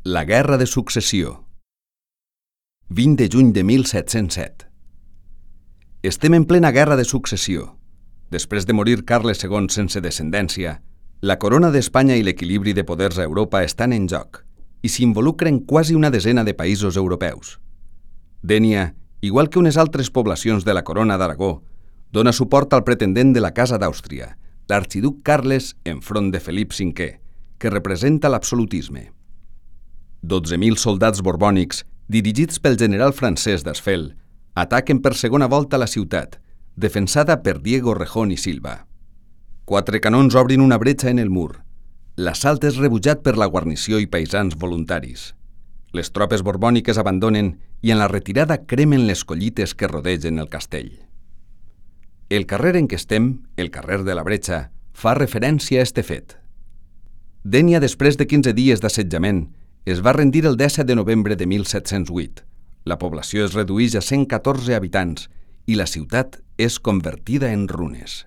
La Guerra de Successió. 20 de juny de 1707. Estem en plena Guerra de Successió. Després de morir Carles II sense descendència, la corona d'Espanya i l'equilibri de poders a Europa estan en joc i s'involucren quasi una desena de països europeus. Dénia, igual que unes altres poblacions de la corona d'Aragó, dona suport al pretendent de la Casa d'Àustria, l'arxiduc Carles enfront de Felip V, que representa l'absolutisme. 12.000 soldats borbònics, dirigits pel general francès Desfel, ataquen per segona volta la ciutat, defensada per Diego Rejón i Silva. 4 canons obrin una bretxa en el mur. L'assalt és rebutjat per la guarnició i paisans voluntaris. Les tropes borbòniques abandonen i en la retirada cremen les collites que rodegen el castell. El carrer en què estem, el carrer de la Bretxa, fa referència a este fet. Dénia, després de 15 dies d'assetjament, es va rendir el 17 de novembre de 1708. La població es redueix a 114 habitants i la ciutat és convertida en runes.